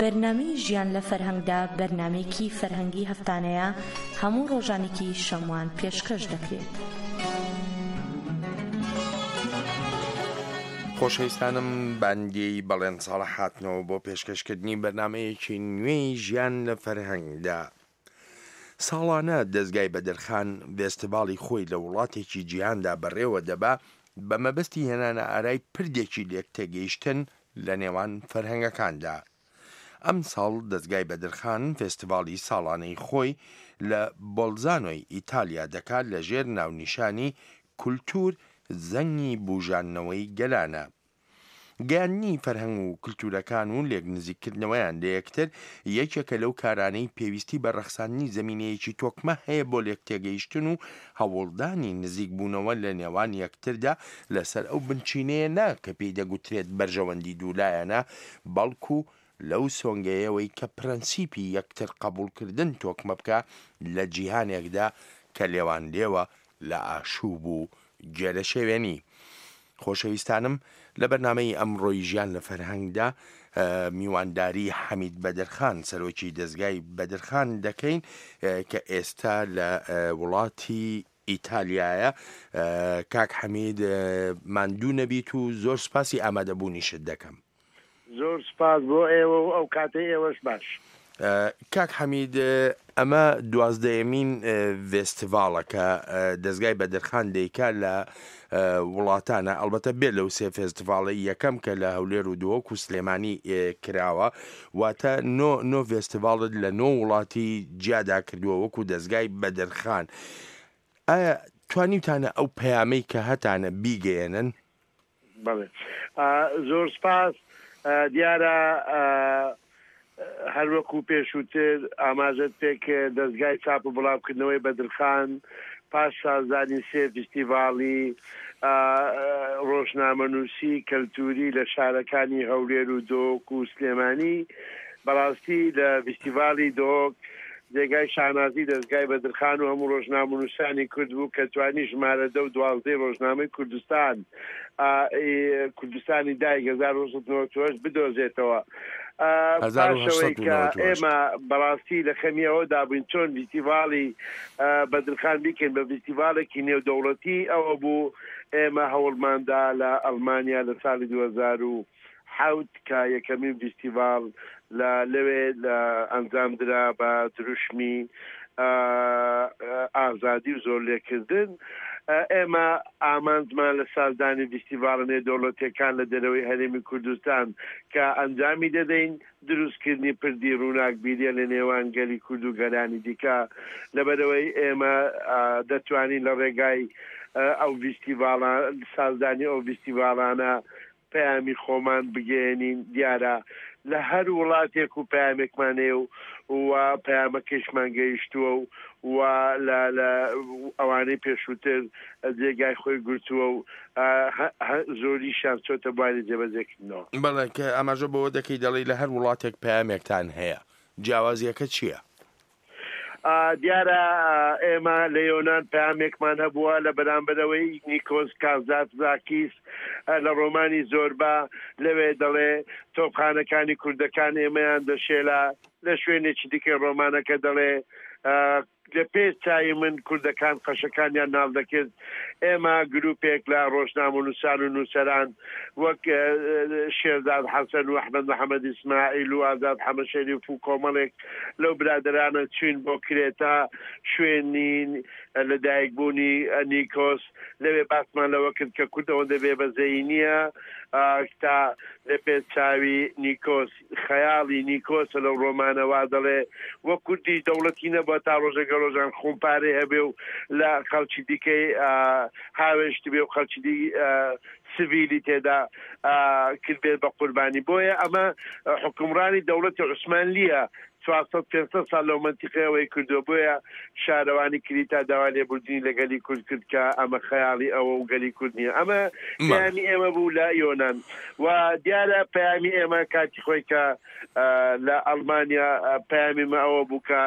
بەرنامەی ژیان لە فەرهەنگدا بەرنامەیەکی فەرهەنگی هەفتانەیە هەموو ڕۆژانێکی شەموان پێشکەش دەکرێت. خۆشەویستانم بانگی بەڵێن ساڵح هاتنەوە بۆ پێشکەشکردنی بەرنامەیەکی نوێی ژیان لە فەرهەنگدا. ساڵانە دەزگای بەدرخان ڤێستیڤاڵی خۆی لە وڵاتێکی جیهاندا بەڕێوە دەبا بە مەبەستی هێنانە ئارای پردێکی لێکتێگەیشتن لە نێوان فەرهەنگەکاندا. ئەمساڵ دەزگای بەدرخان فێستیڤاڵی ساڵانەی خۆی لە بۆلزانۆی ئیتالیا دەکات لە ژێر ناونیشانی کولتوور زەنگی بوژاندنەوەی گەلانە. گەیاندنی فەرهەنگ و کلتورەکان و لێکنزیککردنەوەیان لەیەکتر یەکێکە لەو کارانەی پێویستی بە ڕەخساندنی زەمینەیەکی تۆکمە هەیە بۆ لێکتێگەیشتن و هەوڵدانی نزیکبوونەوە لە نێوان یەکتردا لەسەر ئەو بنچینەیە نا کە پێی دەگوترێت بەرژەوەندی دوولایەنە بەڵکو لەو سۆنگەیەوەی کە پرەنسیپی یەکتر قەبوڵکردن تۆکمە بکا لە جیهانێکدا کە لێوانلێوە لە ئاشوب و گێرەشێوێنی. خۆشەویستانم لە بەرنامەی ئەمڕۆی ژیان لە فەرهەنگدا میوانداری حەمید بەدرخان سەرۆکی دەزگای بەدرخان دەکەین کە ئێستا لە وڵاتی ئیتالیایە. کاک حەمید ماندوو نەبیت و زۆر سوپاسی ئامادەبوونیشت دەکەم. زۆر سوپاس بۆ ئێوە و ئەو کاتەی ئێوەش باش. کاک حەمید ئەمە دوازدەیەمین ڤێستیڤاڵە کە دەزگای بەدرخان دەیکا لە وڵاتانە ئەڵبەتە بێ لەو سێ فێستیڤاڵەی یەکەم کە لە هەولێر و دهۆک و سلێمانی کراوە واتە نۆ نۆ ڤێستیڤاڵت لە نۆ وڵاتی جیادا کردووە وەکو دەزگای بەدرخان ئایا توانیوتانە ئەو پەیامەی کە هەتانە بیگەیەنن؟ بەڵێ زۆر سپاس. دیارە هەر وەکوو پێشووتر ئاماژەت پێ کرد دەزگای چاپ و بڵاوکردنەوەی بەدرخان پاش سازدانی سێ فیستیڤاڵی ڕۆژنامەنووسی کەلتووری لە شارەکانی هەولێر و دهۆک و سلێمانی بەڕاستی لە ڤیستیڤاڵی دهۆک جێگای شانازی دەزگای بەدرخان و هەموو ڕۆژنامەنووسانی کورد بوو کە توانی ژمارە دە و دوازدەی ڕۆژنامەی کوردستان کوردستانی دایک 1998 بدۆزێتەوە. پاشەوەی کە ئێمە بەڕاستی لە خەمی ئەوەدا بووین چۆن ڤیستیڤاڵی بەدرخان بیکەین بە ڤیستیڤاڵێکی نێودەوڵەتی ئەوە بوو ئێمە هەوڵماندا لە ئەڵمانیا لە ساڵی 2007 کە یەکەمین ڤیستیڤاڵ لە لەوێ لە ئەنجام درا بە دروشمی ئازادی و زۆرلێکردن. ئێمە ئامانجمان لە سازدانی ڤیستیڤاڵە نێودەوڵەتیەکان لە دەرەوەی هەرێمی کوردستان کە ئەنجامی دەدەین، دروستکردنی پردی ڕووناکبیریە لە نێوان گەلی کورد و گەلانی دیکە. لەبەرئەوەی ئێمە دەتوانین لە ڕێگای ئەو ڤیستیڤاڵە سازدانی ئەو ڤیستیڤاڵانە پەیامی خۆمان بگەیەنین، دیارە لە هەر وڵاتێک و پەیامێکمان هەیە و و پەیامەکەیشمان گەیشتووە و و لە لە ئەوانەی پێشووتر جێگای خۆی گرتووە و زۆریشیان چۆتە بواری جێبەجێکردنەوە. بەڵێ، کە ئاماژە بەوە دەکەی دەڵێی لە هەر وڵاتێک پەیامێکتان هەیە، جیاوازییەکە چییە؟ دیارە ئێمە لە یۆنان پەیامێکمان هەبووە لە بەرامبەرەوەی نیکۆس کازاتزاکیس لە ڕۆمانی زۆربا لەوێ دەڵێ تۆپخانەکانی کوردەکان ئێمەیان دەشێلا لە شوێنێکی دیکەی ڕۆمانەکە دەڵێ لە پێش چاوی من کوردەکان قەشەکانیان ناڵ دەکرد ئێمە گروپێک لە ڕۆژنامەنووسان و نووسەران وەک شێرزاد حەسەن و ئەحمەد محەمەد ئیسماعیل و ئازاد حەمە شەریف و کۆمەڵێک لەو برادەرانە چوین بۆ کرێتا شوێنی لەدایکبوونی نیکۆس لەوێ باسمان لەوە کرد کە کورد ئەوەندە بێبەزەیی نییە تا لە پێش چاوی نیکۆس خەیاڵی نیکۆسە لەو ڕۆمانە وا دەڵێ وەک کوردیش دەوڵەتی نەبووە تا ڕۆژێک لە ڕۆژان خومپارەی هەبێ و لە خەڵکی دیکەی هاوێشتبێ و خەڵکی دی سڤیلی تێدا کردبێت بە قوربانی بۆیە ئەمە حوکمڕانی دەوڵەتی عوسمانلییە 400 500 ساڵ لەو مەنتیقەیە ئەوەی کردووە بۆیە شارەوانی کریتا داوای لێبوردنی لە گەلی کورد کرد کە ئەمە خەیاڵی ئەوە و گەلی کورد نییە ئەمە پەیامی ئێمە بوو لە یۆنان و دیارە پەیامی ئێمە کاتی خۆی کە لە ئەڵمانیا پەیامی مە ئەوە بوو کە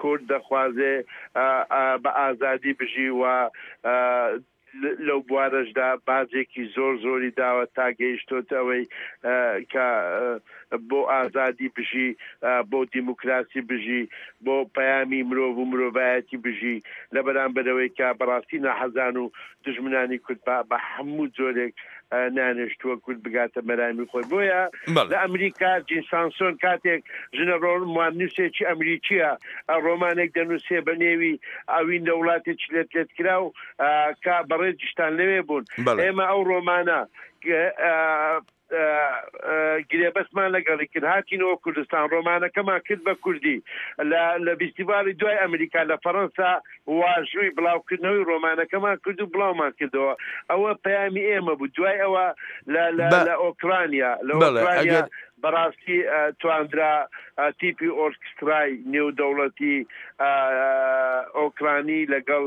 کورد دەخوازێ بە ئازادی بژی و. لەو بوارەشدا باجێکی زۆر زۆری داوە تا گەیشتۆتە ئەوەی کە بۆ ئازادی بژی، بۆ دیموکراسی بژی، بۆ پەیامی مرۆڤ و مرۆڤایەتی بژی، لە بەرامبەرەوەی کە بەڕاستی ناحەزان و دوژمنانی کورد بە هەموو جۆرێک نانێشتووە کورد بگاتە مەرامی خۆی. بۆیە لە ئەمریکا جین سانسۆن کاتێک ژنە ڕۆماننووسێکی ئەمریکییە ڕۆمانێک دەنووسێ بە نێوی ئەوین لە وڵاتێکی لەت لەتکراو کە بەڕێزیشتان لەوێ بوون. ئێمە ئەو ڕۆمانە گرێبەستمان لەگەڵی کرد، هاتینەوە کوردستان، ڕۆمانەکەمان کرد بە کوردی. لە ڤیستیڤاڵی دوای ئەمریکا لە فەڕەنسا واژووی بڵاوکردنەوەی ڕۆمانەکەمان کرد و بڵاومان کردەوە. ئەوە پەیامی ئێمە بوو. دوای ئەوە لە ئۆکرانیا، لە ئۆکرانیا بەڕاستی تواندرا تیپی ئۆرکسترای نێودەوڵەتی ئۆکرانی لەگەڵ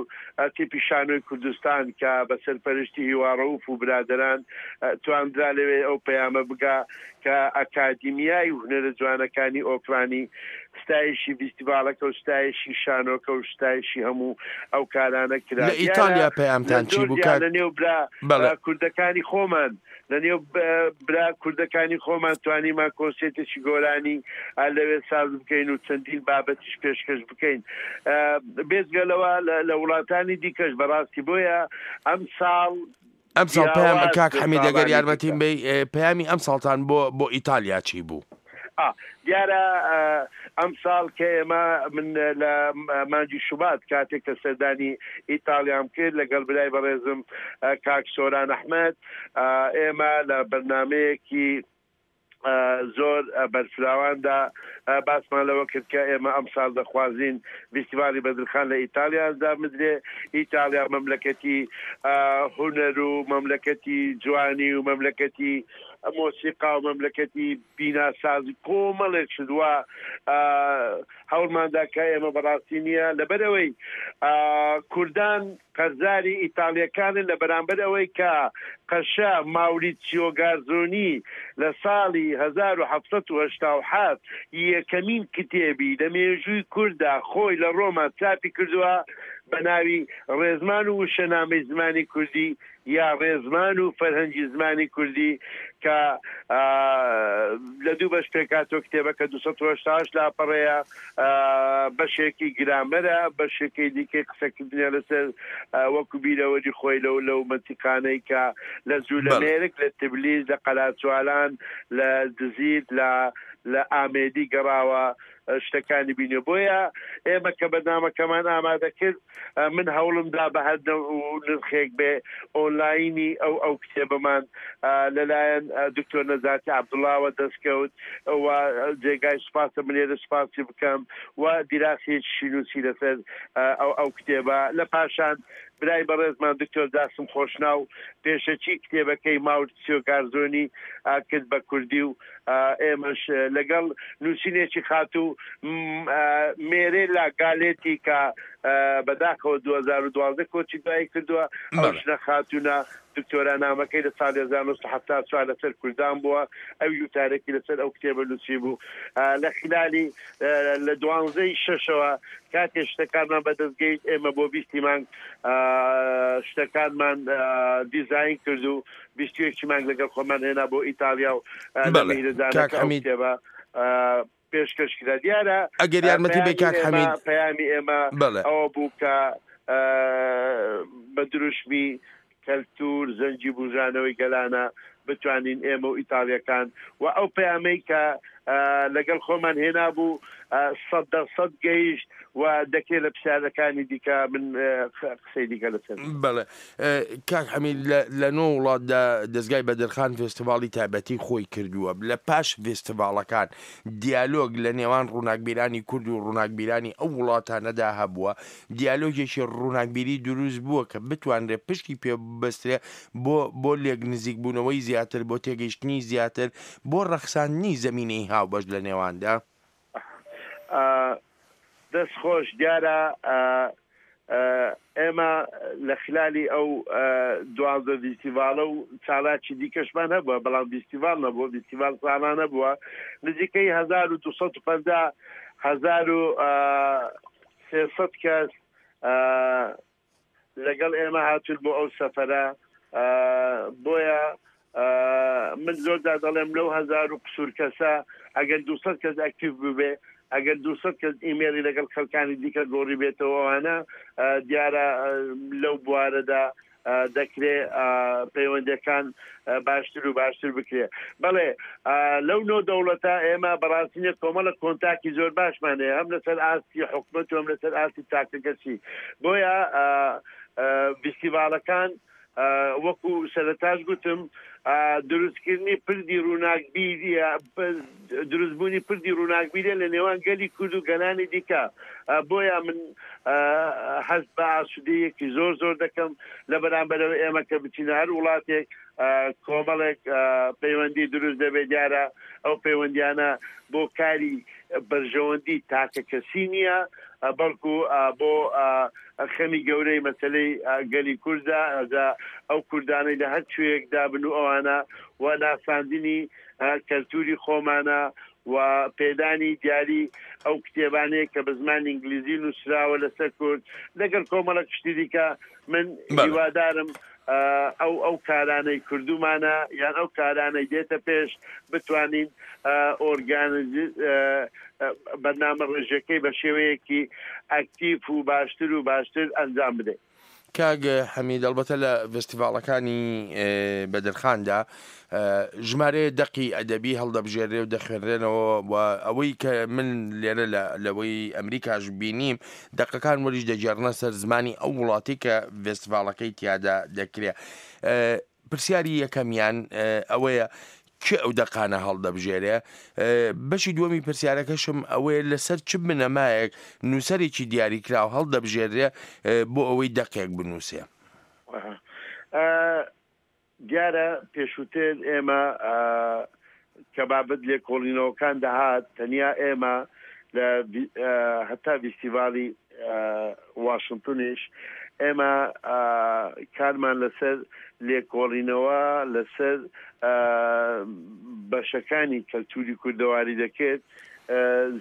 تیپی شانۆی کوردستان کە بە سەرپەرشتی هیوا ڕەوف و برادەران تواندرا لەوێ ئەو پەیامە بگا کە ئەکادیمیای هونەرە جوانەکانی ئۆکرانی ستایشی ڤیستیڤاڵەکە و ستایشی شانۆکە و ستایشی هەموو ئەو کارانە کرا. لە ئیتالیا پەیامتان چی بوو کاک؟ لە نێو برا کوردەکانی خۆمان لە نێو برا کوردەکانی خۆمان توانیمان کۆنسێرتێکی گۆرانی لەوێ ساز بکەین و چەندین بابەتیش پێشکەش بکەین بێجگە لەوە لە وڵاتانی دیکەش بەڕاستی بۆیە ئەم ساڵ ئەم ساڵ پەیام کاک حەمید ئەگەر یارمەتیم بەی پەیامی ئەم ساڵتان بۆ بۆ ئیتالیا چی بوو؟ دیارە ئەمساڵ کە ئێمە من لە مانگی شوبات کاتێک کە سەردانی ئیتاڵیام کرد لەگەڵ برای بەڕێزم کاک سۆران ئەحمەد ئێمە لە بەرنامەیەکی زۆر بەرفراواندا باسمان لەوە کرد کە ئێمە ئەمساڵ دەخوازین ڤیستیڤاڵی بەدرخان لە ئیتاڵیا ئەنجام بدرێ. ئیتاڵیا مەملەکەتی هونەر و مەملەکەتی جوانی و مەملەکەتی مۆسیقا و مەملەکەتی بیناسازی کۆمەڵێک شت وا هەوڵماندا کە ئێمە بەڕاستی نییە لەبەرئەوەی کوردان قەرزاری ئیتاڵیەکانن لە بەرامبەر ئەوەی کە قەشە ماوریتسیۆ گارزۆنی لە ساڵی 1787 یەکەمین کتێبی لە مێژووی کورددا خۆی لە ڕۆما چاپی کردووە بە ناوی ڕێزمان و وشەنامەی زمانی کوردی یا ڕێزمان و فەرهەنگی زمانی کوردی کە لە دوو بەش پێکهاتووە، کتێبەکە 288 لاپەڕەیە، بەشێکی گرامەرە، بەشێکی دیکەی قسەکردنە لەسەر وەکو بیرەوەری خۆی لەو لەو مەنتیقانەی کە لە جولەمێرگ، لە تبلیس، لە قەلاچوالان، لە دزیر، لە لە ئامێدی گەڕاوە شتەکانی بینیوە. بۆیە ئێمە کە بەرنامەکەمان ئامادە کرد، من هەوڵم دا بە هەر نەوع و نرخێک بێ ئۆنلاینی ئەو ئەو کتێبەمان لەلایەن دکتۆر نەجاتی عەبدوڵاوە دەست کەوت و جێگای سوپاسە من لێرە سوپاسی بکەم و دیراسەیەکیشی نووسی لەسەر ئەو ئەو کتێبە. لە پاشان برای بەڕێزمان دکتۆر جاسم خۆشناو پێشەکی کتێبەکەی ماورتسیۆ گارزۆنی کرد بە کوردی و ئێمەش لەگەڵ نووسینێکی خاتوو مێرێلا گالێتی کە بەداخەوە 2012 کۆچی دوایی کردووە، ئەو ژنە خاتوونە دکتۆرا نامەکەی لە ساڵی 1974 لەسەر کوردان بووە، ئەویش وتارێکی لەسەر ئەو کتێبە نووسیبوو. لە خلالی لە دوانزەی شەشەوە کاتێ شتەکانمان بەدەست گەیشت ئێمە بۆ بیستی مانگ شتەکانمان دیزاین کرد و 21 مانگ لەگەڵ خۆمان هێنا بۆ ئیتاڵیا و لە میهرەجانەکە ئەو کتێبە پێشکەش کرا. دیارە ئەگەر یارمەتی بەی کاک حەمید پەیامی ئێمە ئەوە بوو کە بە دروشمی کەلتوور زەنگی بوژانەوەی گەلانە بتوانین ئێمە و ئیتاڵیەکان و ئەو پەیامەی کە لەگەڵ خۆمان هێنابوو سەد دەر سەد گەیشت و دەکرێت لە پرسیارەکانی دیکە من قسەی دیکە لەسەر بەڵێ کاک حەمید لە نۆ وڵاتدا دەزگای بەدرخان فێستیڤاڵی تایبەتی خۆی کردووە لە پاش فێستیڤاڵەکان دیالۆگ لە نێوان ڕووناکبیرانی کورد و ڕووناکبیرانی ئەو وڵاتانەدا هەبووە دیالۆگێکی ڕووناکبیری دروست بووە کە بتوانرێت پشتی پێ ببەسترێ بۆ بۆ لێک نزیکبوونەوەی زیاتر بۆ تێگەیشتنی زیاتر بۆ ڕەخساندنی زەمینەی هاوبەش لە نێواندا؟ دەست خۆش دیارە ئێمە لە خلالی ئەو 12 ڤیستیڤاڵە و چالاکی دیکەشمان هەبووە بەڵام ڤیستیڤاڵ نەبووە ڤیستیڤاڵ ساڵانە بووە نزیکەی 1250 1300 کەس. لەگەڵ ئێمە هاتوون بۆ ئەو سەفەرە بۆیە من زۆر جار دەڵێم لەو هەزار و قسوور کەسە ئەگەر 200 کەس ئەکتیڤ ببێ ئەگەر 200 کەس ئیمێڵی لەگەڵ خەڵکانی دیکە گۆڕی بێتەوە ئەوانە دیارە لەو بوارەدا دەکرێ پەیوەندەکان باشتر و باشتر بکرێ بەڵێ لەو نۆ دەوڵەتە ئێمە بەڕاستینە کۆمەڵە کۆنتاکی زۆر باشمان هەیە هەم لەسەر ئاستی حکومەت و هەم لەسەر ئاستی تاکەکەسی بۆیە فیستیڤاڵەکان وەکو سەرەتاش گوتم دروستکردنی پردی ڕووناکبیریە دروستبوونی پردی ڕووناکبیریە لە نێوان گەلی کورد و گەلانی دیکە بۆیە من هەست بە ئاسوودەیەکی زۆر زۆر دەکەم لە بەرامبەرەوە ئێمە کە بچینە هەر وڵاتێک کۆمەڵێک پەیوەندی دروست دەبێت دیارە ئەو پەیوەندیانە بۆ کاری بەرژەوەندی تاکە کەسی نییە بەڵکو بۆ خەمی گەورەی مەسەلەی گەلی کوردە، جا ئەو کوردانەی لە هەر کوێیەکدا بن و ئەوانە و ناساندنی کەلتوری خۆمانە و پێدانی دیاری ئەو کتێبانەیە کە بە زمانی ئینگلیزی نووسراوە لەسەر کورد لەگەڵ کۆمەڵە شتی دیکە من هیوادارم ئەو ئەو کارانەی کردومانە یان ئەو کارانەی دێتە پێش بتوانین ئۆرگانیز بەرنامە ڕێژەکەی بە شێوەیەکی ئەکتیف و باشتر و باشتر ئەنجام بدەین. کاک حەمید ئەڵبەتە لە ڤستیڤاڵەکانی بەدرخاندا ژمارەیە دەقی ئەدەبی هەڵدەبژێرێ و دەخوێنرێنەوە و ئەوەی کە من لێرە لە لەوەی ئەمریکاش بینیم دەقەکان وەریش دەگێڕنە سەر زمانی ئەو وڵاتی کە ڤستیڤاڵەکەی تیادا دەکرێ. پرسیاری یەکەمیان ئەوەیە کێ ئەو دەقانە هەڵدەبژێرێ؟ بەشی دووەمی پرسیارەکەشم ئەوەیە لەسەر چ بنەمایەک نووسەرێکی دیاریکراو هەڵدەبژێرێ بۆ ئەوەی دەقێک بنووسێ؟ دیارە پێشووتر ئێمە کە بابەت لێکۆڵینەوەکان دەهات تەنیا ئێمە لە هەتا ڤیستیڤاڵی واشنتنیش ئێمە کارمان لەسەر لێکۆڵینەوە لەسەر بەشەکانی کەلتوری کوردەواری دەکرد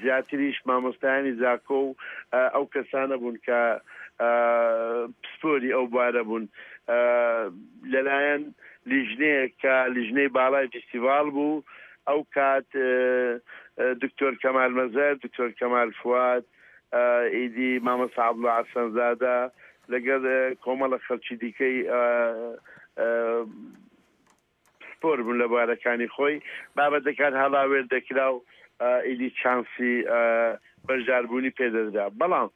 زیاتریش مامۆستایانی زاکۆ و ئەو کەسانە بوون کە پسپۆری ئەو بوارە بوون لەلایەن لیژنەیەک کە لیژنەی باڵای فیستیڤاڵ بوو ئەو کات دکتۆر کەمال مەزەر، دکتۆر کەمال فواد، ئیدی مامۆستا عەبدوڵا حەسەنزادە لەگەڵ کۆمەڵە خەڵکی دیکەی پسپۆر بوون لە بوارەکانی خۆی، بابەتەکان هەڵاوێر دەکرا و ئیدی چانسی بەشداربوونی پێدەدرا. بەڵام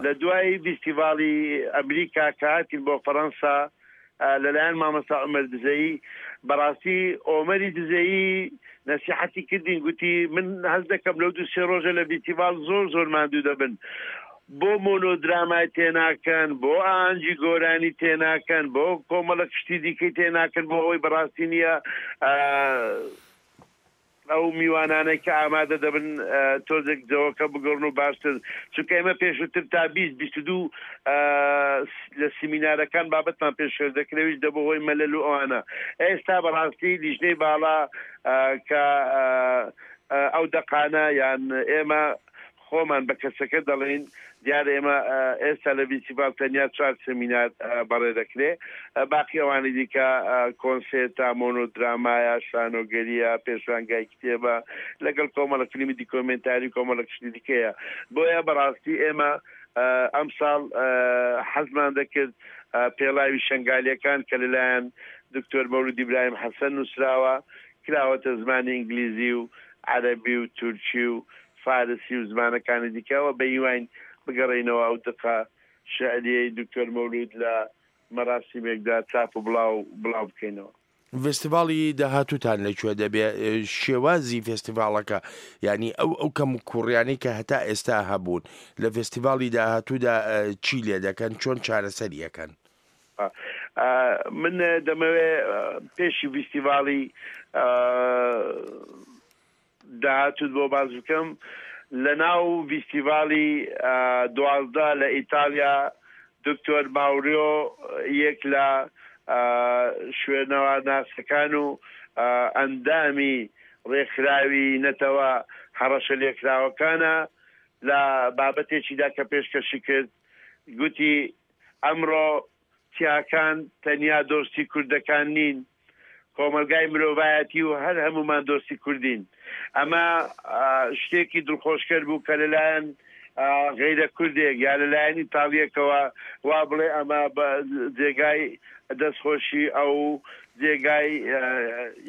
لە دوای ڤیستیڤاڵی ئەمریکا کە هاتین بۆ فەڕەنسا لەلایەن مامۆستا عومەر دزەیی، بەڕاستی ئۆمەری دزەیی نەسیحەتی کردین گوتی من هەست دەکەم لەو دوو سێ ڕۆژە لە ڤیستیڤاڵ زۆر زۆر ماندوو دەبن بۆ مۆنۆدرامای تێناکەن بۆ ئاهەنگی گۆرانی تێناکەن بۆ کۆمەڵە شتی دیکەی تێناکەن بۆ ئەوەی بەڕاستی نییە ئەو میوانانەی کە ئامادە دەبن تۆزێک جەوەکە بگۆڕن و باشتر چونکە ئێمە پێشووتر تا 20 22 لە سیمینارەکان بابەتمان پێشکەش دەکرێت دەبوو هۆی مەلەل و ئەوانە ئێستا بەڕاستی لیژنەی باڵا کە ئەو دەقانە یان ئێمە خۆمان بە کەسەکە دەڵێین، دیارە ئێمە ئێستا لە ڤیستیڤاڵ تەنیا چوار سێمینار بەڕێ دەکرێ، باقی ئەوانی دیکە کۆنسێرتە، مۆنۆدرامایە، شانۆگەرییە، پێشانگای کتێبە، لەگەڵ کۆمەڵە فیلمی دیکۆمێنتاری و کۆمەڵێک شتی دیکەیە. بۆیە بەڕاستی ئێمە ئەمساڵ حەزمان دەکرد پێڵاوی شەنگالییەکان کە لەلایەن دکتۆر مەولوود ئیبراهیم حەسەن نووسراوە، کراوەتە زمانی ئینگلیزی و عەرەبی و تورکی و فارسی و زمانەکانی دیکەوە بە هیواین بگەڕێینەوە ئەو دەقە شیعرییەی دکتۆر مەولوود لە مەراسیمێکدا چاپ و بڵاو بڵاو بکەینەوە. ڤێستیڤاڵی داهاتووتان لە کوێ دەبێ؟ شێوازی فێستیڤاڵەکە یانی ئەو ئەو کەموکووڕیانەی کە هەتا ئێستا هەبوون لە ڤێستیڤاڵی داهاتوودا چی لێ دەکەن، چۆن چارەسەری ئەکەن؟ من دەمەوێ پێشی ڤیستیڤاڵی داهاتووت بۆ باس بکەم، لە ناو ڤیستیڤاڵی 12 لە ئیتاڵیا دکتۆر ماوریۆ یەک لە شوێنەوارناسەکان و ئەندامی ڕێکخراوی نەتەوە هەڕەشە لێکراوەکانە لە بابەتێکیدا کە پێشکەشی کرد گوتی ئەمڕۆ. چیاکان تەنیا دۆستی کوردەکان نین، کۆمەڵگای مرۆڤایەتی و هەر هەموومان دۆستی کوردین. ئەمە شتێکی دڵخۆشکەر بوو کە لەلایەن غەیرە کوردێک یا لەلایەن ئیتاڵییەکەوە وا بڵێ ئەمە بە جێگای دەستخۆشی ئەو جێگای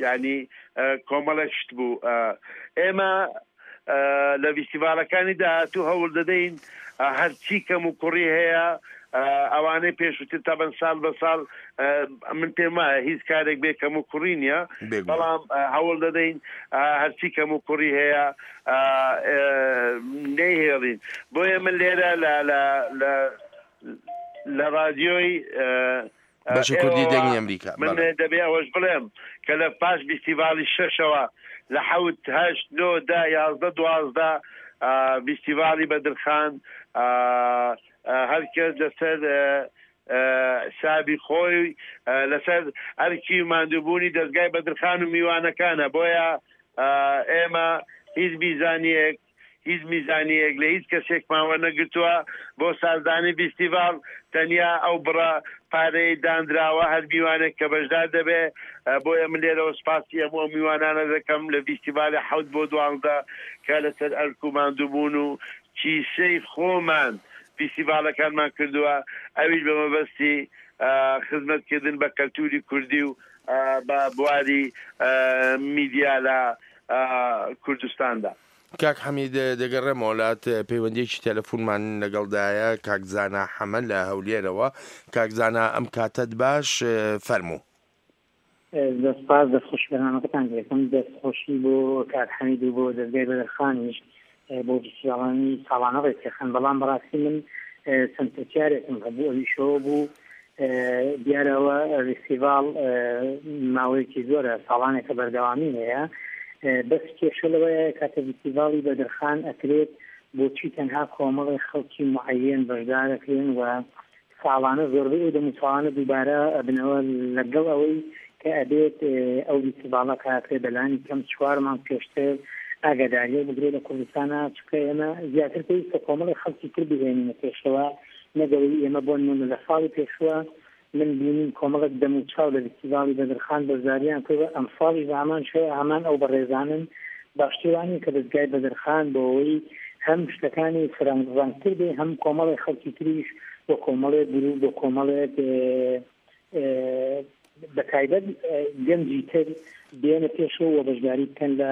یانی کۆمەڵێک شت بوو. ئێمە لە ڤیستیڤاڵەکانی داهاتوو هەوڵ دەدەین هەرچی کەم و کوڕی هەیە ئەوانەی پێشووتر تەبەن ساڵ بە ساڵ من پێم وایە هیچ کارێک بێ کەم و کوڕی نییە بەڵام هەوڵ دەدەین هەرچی کەم و کوڕی هەیە نەیهێڵین بۆیە من لێرە لە لە لە لە ڕادیۆی بەشی کوردی دەنگی ئەمریکا. من دەبێ ئەوەش بڵێم کە لە پاش ڤیستیڤاڵی شەشەوە لە حەوت، هەشت، نۆ، دە، 11، 12 ڤیستیڤاڵی بەدرخان هەر کەس لەسەر حسابی خۆی لەسەر ئەرکی ماندووبوونی دەزگای بەدرخان و میوانەکانە بۆیە ئێمە هیچ میزانیەک هیچ میزانیەیەک لە هیچ کەسێکمان وەرنەگرتووە بۆ سازدانی ڤیستیڤاڵ، تەنیا ئەو بڕە پارەیەی دانراوە هەر میوانێک کە بەشدار دەبێ، بۆیە من لێرەوە سوپاسی هەموو ئەو میوانانە دەکەم لە ڤیستیڤالی حەوت بۆ 12 کە لەسەر ئەرک و ماندووبوون و کیسەی خۆمان ڤیستیڤاڵەکانمان کردووە، ئەویش بە مەبەستی خزمەتکردن بە کەلتووری کوردی و بە بواری میدیا لە کوردستاندا. کاک حەمید دەگەڕێمەوە لات، پەیوەندیەکی تەلەفونمان لەگەڵدایە کاک زانا حەمە لە هەولێرەوە. کاک زانا ئەم کاتەت باش، فەرموو. زۆر سپاس، دەست خۆشی بەرنامەکەتان دەکەم، دەست خۆشی بۆ کاک حەمید و بۆ دەزگای بەدرخانیش بۆ فیستیڤاڵانی ساڵانە ڕێکدەخەن، بەڵام بەڕاستی من چەند پرسیارێکم هەبوو ئەویش ئەوە بوو دیارە ئەوە ڤیستیڤاڵ ماوەیەکی زۆرە ساڵانێکە بەردەوامی هەیە بەس کێشە لەوەیە کاتە ڤیستیڤاڵی بەدرخان ئەکرێت بۆچی تەنها کۆمەڵی خەڵکی معەیەن بەشدارەکرێن و ساڵانە زۆربەی ئەو دەموچاوانە دووبارە ئەبنەوە لەگەڵ ئەوەی کە ئەبێت ئەو ڤیستیڤاڵە کە ئەکرێت بەلانی کەم چوار مانگ پێشتر ئاگاداریەک بگرێت لە کوردستانا چونکە ئێمە زیاتر پێویستە کۆمەڵی خەڵکی تر بهێنینە پێشەوە نەک ئەوەی ئێمە بۆ نموونە لە ساڵی پێشووە من بینیم کۆمەڵێک دەم و چاو لە ڤیستیڤاڵی بەدرخان بەشداریان کردوە ئەمساڵیش بە هەمان شێوە هەمان ئەو بەڕێزانن باشتر وا نیە کە دەزگای بەدرخان بۆ ئەوەی هەم شتەکانی فرەنگ ڕەنگتر بێ هەم کۆمەڵێک خەڵکی تریش و کۆمەڵێک گروپ و کۆمەڵێک بە تایبەت گەنجی تر بێنە پێشەوە و بەشداری بکەن لە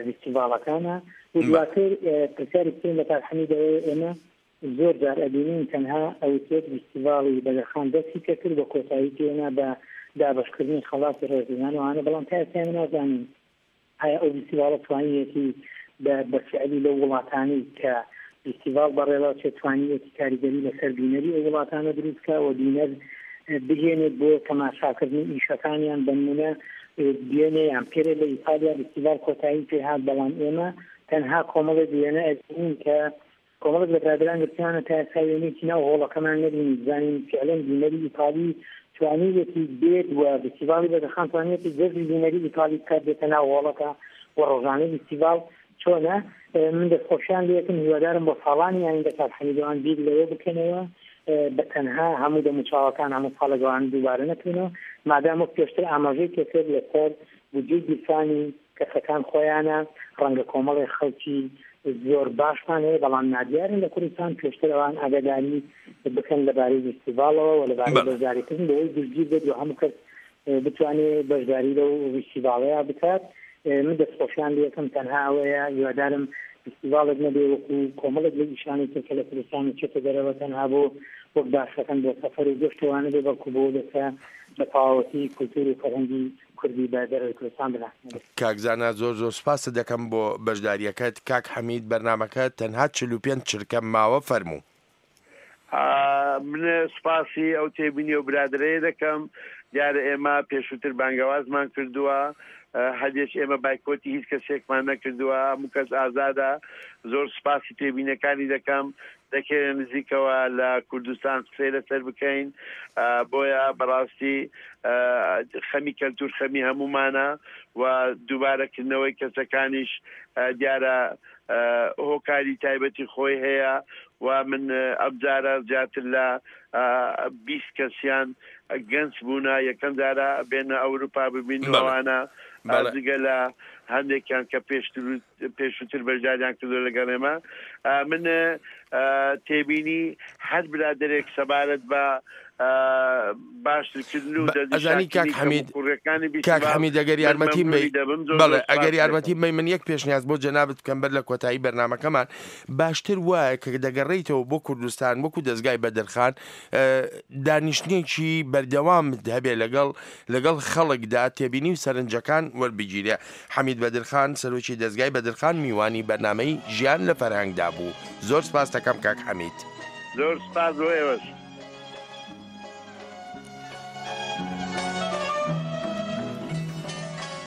ڤیستیڤاڵەکانە و دواتر پرسیاری بکەین لە کاک حەمید ئەوەیە ئێمە زۆر جار ئەبینین تەنها ئەوترێت ڤیستیڤاڵی بەدرخان دەستی پێکرد و کۆتایی پێهێنا بە دابەشکردنی خەڵاتی ڕێزلێنان و ئەوانە بەڵام تا ئێستا ئێمە نازانین ئایا ئەو ڤیستیڤاڵە توانیویەتی بە بە فیعلی لەو وڵاتانەی کە ڤیستیڤاڵ بەڕێوەچێت توانیویەتی کاریگەری لەسەر بینەری ئەو وڵاتانە دروست بکا و بینەر بهێنێت بۆ تەماشاکردنی ئیشەکانیان بەنمونە دوێنێ یان پێرێ لە ئیتالیا ڤیستیڤاڵ کۆتایی پێهات بەڵام ئێمە تەنها کۆمەڵێک وێنە ئەبینین کە کۆمەڵێک لە برادەران گرتویانە تا ئێستا وێنەیەکی ناو هۆڵەکەمان نەبینی بزانین فیعلەن بینەری ئیتالی توانیویەتی بێت و ڤیستیڤاڵی بەدرخان توانیویەتی جەزبی بینەری ئیتالی بکات بێتە ناو هۆڵەکە و ڕۆژانەی ڤیستیڤاڵ چۆنە من دەستخۆشیان لێکم هیوادارم بۆ ساڵانی ئایندە کاک حەمید ئەوان بیر لەوە بکەنەوە بە تەنها هەموو دەموچاوەکان هەموو ساڵێک ئەوان دووبارە نەکرێنەوە مادام وەک پێشتر ئاماژەی پێکرد لەسەر بودجەی گیرفانی کەسەکان خۆیانە، ڕەنگە کۆمەڵێک خەڵکی زۆر باشمان هەیە بەڵام نادیارن لە کوردستان، پێشتر ئەوان ئاگاداری بکەن لەبارەی ڤیستیڤاڵەوە و لەبارەی بەشداریکردن بۆ ئەوەی گشتگیر بێت و هەموو کەس بتوانێت بەشداری لەو ڤیستیڤاڵەیا بکات. من دەستخۆشیان لێ ئەکەم تەنها ئەوەیە هیوادارم ڤیستیڤاڵێک نەبێ وەکو کۆمەڵێک لە ئیشانی تر کە لە کوردستان چێتە دەرەوە تەنها بۆ وەک باسەکەن بۆ سەفەر و گەشت و ئەوانە بێ بەڵکو بۆ بێتە بە تەواوەتی کولتوور و فەرهەنگی کوردی بە دەرەوەی کوردستان بناسێنێت. کاک زانا زۆر زۆر سوپاست دەکەم بۆ بەشداریەکەت. کاک حەمید بەرنامەکە تەنها 45 چرکە ماوە فەرموو. من سوپاسی ئەو تێبینی و برادەرەیە دەکەم. دیارە ئێمە پێشووتر بانگەوازمان کردووە، هەردێک ئێمە بایکۆتی هیچ کەسێکمان نەکردووە، هەموو کەس ئازادە. زۆر سوپاسی تێبینەکانی دەکەم. دەکەی لە نزیکەوە لە کوردستان قسەی لەسەر بکەین بۆیە بەڕاستی خەمی کەلتور خەمی هەمومانە و دووبارەکردنەوەی کەسەکانیش دیارە هۆکاری تایبەتی خۆی هەیە. و من ئەمجارە زیاتر لە 20 کەسیان گەنج بوونە یەکەم جارە بێنە ئەوروپا ببین ئەوانە جگە لە هەندێکیان کە پێشتر پێشووتر بەشداریان کردو لەگەڵ ئێمە. من تێبینی هەر برادەرێک سەبارەت بە باشترکردن و ئەزانی کاک دەستنیشانکردنی حەمید کەموکوڕیەکانی کاک بیستیڤاڵ حەمید ئەگەر من یارمەتیم بەی مەمنونی دەبم زۆر بەڵێ زۆر ئەگەر سپاست دەکەم. یارمەتیم بەی من یەک پێشنیاز بۆ جەنابت بکەم بەر لە کۆتایی بەرنامەکەمان باشتر وایە کە دەگەڕێیتەوە بۆ کوردستان وەکو دەزگای بەدرخان دانیشتنێکی بەردەوامت هەبێ لەگەڵ لەگەڵ خەڵکدا تێبینی و سەرنجەکان وەربگیرێ. حەمید بەدرخان، سەرۆکی دەزگای بەدرخان میوانی بەرنامەی ژیان لە فەرهەنگدا بوو. زۆر سپاست دەکەم کاک حەمید. زۆر سپاس بۆ ئێوەش.